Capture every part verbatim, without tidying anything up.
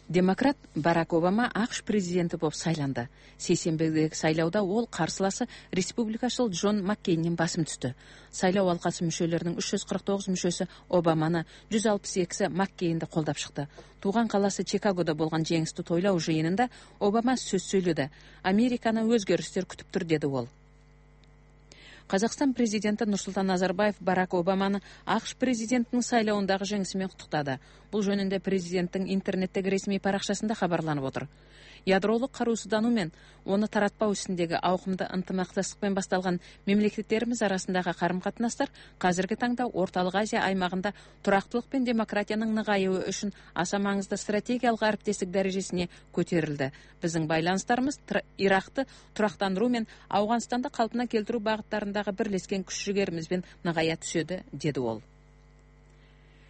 Демократ Барак Обама АКШ президенти болуп сайланды. Сейсенбидеги шайлоодо ол карсыласы республикачыл Джон Маккейнден басым түздү. Шайлоо алкасы мүчөлөрүнүн үч жүз кырк тогуз мүчөсү Обаманы, жүз алпыс экиси Маккейнди колдоп чыкты. Тууган калаасы Чикагодо болгон жеңисти тойлоо жыйынында Обама сөз сүйлөдү. Американы өзгөрүштөр күтүптүр, деди ол. Казакстан президенти Нурсултан Назарбаев Барак Обаманы АКШ президентинин шайлоодагы жеңиси менен куттуктады. Бул жөнүндө президенттин интернеттеги ресмий баракчасында кабарланып отур. Ядролук каруусуздануу менен оны таратпоо үстүндөгү аукумдуу ынтымакташтык менен башталган мамлекеттерибиз арасындагы карым-катнаштар казыркы таңда Ортолук Азия аймагында турактуулук менен демократиянын ныгайыгы үчүн аса маңыздуу стратегиялык арипдештик дарежесине көтөрүлдү. Биздин байланыштарыбыз Иракты турактандыруу менен Афганстанды калпына келтирүү багыттарындагы бирлешкен күч-жигерибиз менен ныгая түшөдү, деди ол.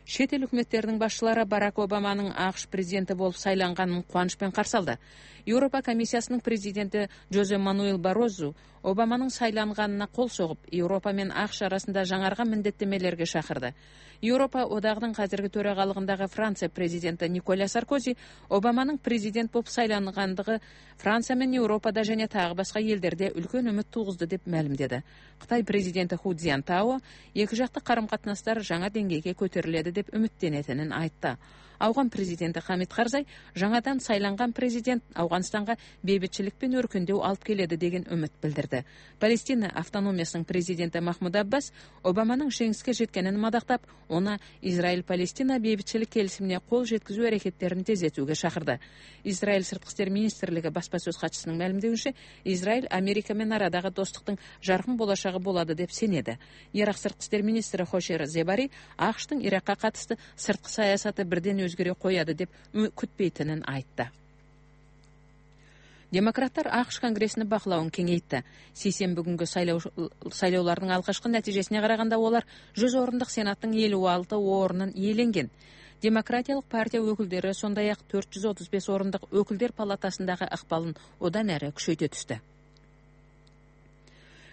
Чет эл өкмөттеринин башчылары Барак Обаманын АКШ президенти болуп сайланганын кубаныч менен каршы алды. Европа комиссиясынын президенти Жозе Мануэл Барозу Обаманын сайланганына кол согуп, Европа менен АКШ арасында жаңарган міндеттемелерге чакырды. Европа одагынын казыркы төрагалыгындагы Франция президенти Николя Саркози Обаманын президент болуп сайлангандыгы Франция менен Европада жана тагы башка элдерде үлкөн үмүт тугузду деп маалимдеди. Кытай президенти Ху Цзянтао эки жактык карым-катнаштар жаңа деңгээлге көтөрүлөдү деп үмүттөнетинин айтты. Афган президенти Хамид Карзай жаңадан сайланган президент Афганстанга бейбитчилик пен өркүндөө алып келеди деген үмүт билдирди. Палестина автономиясынын президенти Махмуд Аббас Обаманын жеңиске жеткенин мадактап, оны Израиль-Палестина бейбитчилик келисимине кол жеткизүү аракеттерин тездетүүгө чакырды. Израиль сырткы иштер министрлиги баспасөз катчысынын маалимдеуинче, Израиль Америка менен арадагы достуктун жаркын болочогу болот деп сенеди. Ирак сырткы иштер министри Хошер Зебари АКШтын Иракка катысты сырткы саясаты бирден өзгөрө коёду деп күтпейтинин айтты. Демократтар АКШ конгрессини бакылауын кеңейтти. Сейсенби күнгү шайлоолордун алгачкы натыйжесине караганда олар жүз орундук сенаттын элүү алты орунун ээленген. Демократиялык партия өкүлдөрү сондай ак төрт жүз отуз беш орундук өкүлдөр палатасындагы ыкпалын одан әрі күчөйтө түштү.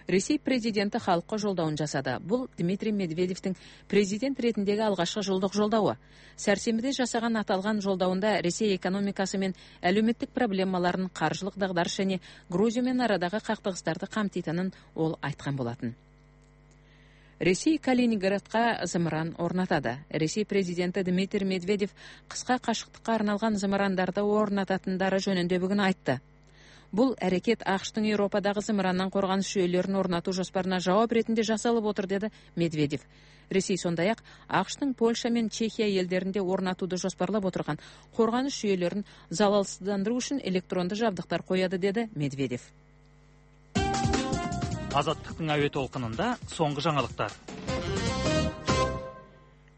Ресей президенти халкка жолдоон жасады. Бул Дмитрий Медведевдин президент ретиндеги алгачкы жолдук жолдообу. Сәрсенбиде жасаган аталган жолдоуунда Ресей экономикасы менен әлеуметтик проблемаларын, каржылык дагдарыш және Грузия менен арадагы кактыгыстарды камтыйтынын ол айткан болатын. Ресей Калининградка зымыран орнатады. Ресей президенти Дмитрий Медведев кыска кашыктыкка арналган зымырандарды орнататындары жөнүндө бүгүн айтты. Бул аракет АКШтын Европадагы зымырандан коргонуш жүйөлөрүн орнатуу жоспарына жооп иретинде жасалып отур, деди Медведев. Ресей сондай ак АКШтын Польша менен Чехия элдеринде орнатууду жоспарлап отурган коргонуш жүйөлөрүн залалсыздандыруу үчүн электрондуу жабдыктар коёду, деди Медведев. Азаттыктын абе толкунунда соңку жаңылыктар.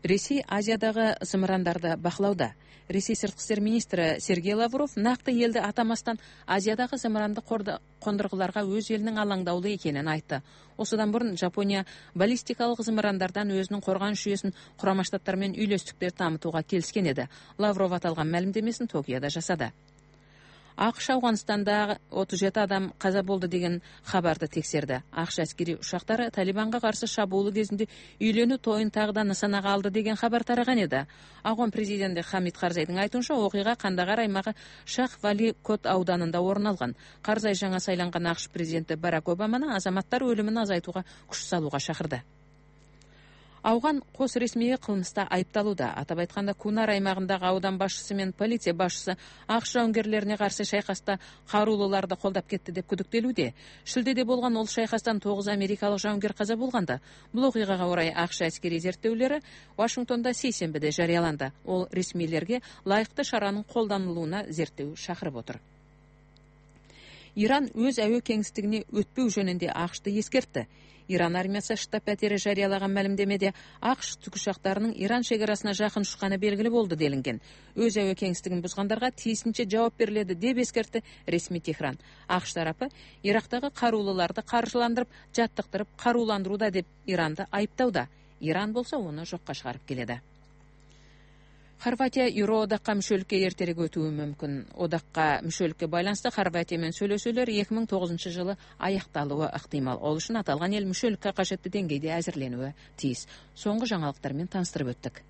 Ресей Азиядагы зымырандарды бакылауда. Ресей сырткы иштер министри Сергей Лавров накты элди атамастан Азиядагы зымыранды кондургуларга өз элинин алаңдаулуу экенин айтты. Осудан мурун Жапония баллистикалык зымырандардан өзүнүн коргонуш жүйөсүн Курама Штаттар менен үйлөстүктөр тамытууга келишкен эди. Лавров аталган маалимдемесин Токиодо жасады. АКШ Афганстанда отуз жети адам каза болду деген хабарды текшерди. АКШ аскери учактары Талибанга каршы шабуулу кезинде үйлөнүү тоюн тагыда нысанага алды деген хабар тараган эди. Афган президенти Хамид Карзайдын айтуунча, окуйга Кандагар аймагы Шах Вали Кот ауданында орун алган. Карзай жаңа сайланган АКШ президенти Барак Обаманы азаматтар өлүмүн азайтууга күч салууга чакырды. Афган кос ресмий кылмышта айыпталууда. Атап айтканда, Кунар аймагындагы аудан башчысы менен полиция башчысы АКШ жауынгерлерине каршы шайкаста каруулууларды колдоп кетти деп күдүктөлүүдө. Шилдеде болгон ол шайкастан тогуз америкалык жауынгер каза болгонда. Бул окуйгага орай АКШ аскери зерттөөлөрү Вашингтонда сейсенбиде жарыяланды. Ол ресмийлерге лайыктуу шаранын колдонулууна зерттөө чакырып отур. Иран өз аөө кеңистигине өтпөө жөнүндө АКШты эскертти. Иран армиясы штаб-пәтери жарыялаган маалимдемеде АКШ тікұшақтарының Иран шекарасына жақын ұшқаны белгілі болды делинген. Өз әуе кеңістігін бұзғандарға тиісінше жауап беріледі деп ескертті ресми Техран. АКШ тарапы Ирактагы каруулууларды каржыландырып, жаттыктырып, карууландырууда деп Иранды айыптауда. Иран болса оны жокко чыгарып келеді. Хорватия Евроодакка мүчөлүккө эртерээк өтүүгү мүмкүн. Одакка мүчөлүккө байланыштуу Хорватия менен сүйлөшүүлөр эки миң тогузунчу жылы аякталууы ыктымал. Ол үчүн аталган эл мүчөлүккө кажеттүү деңгейде азырленүүгө тийиз. Соңку жаңылыктар менен таныстырып өттүк.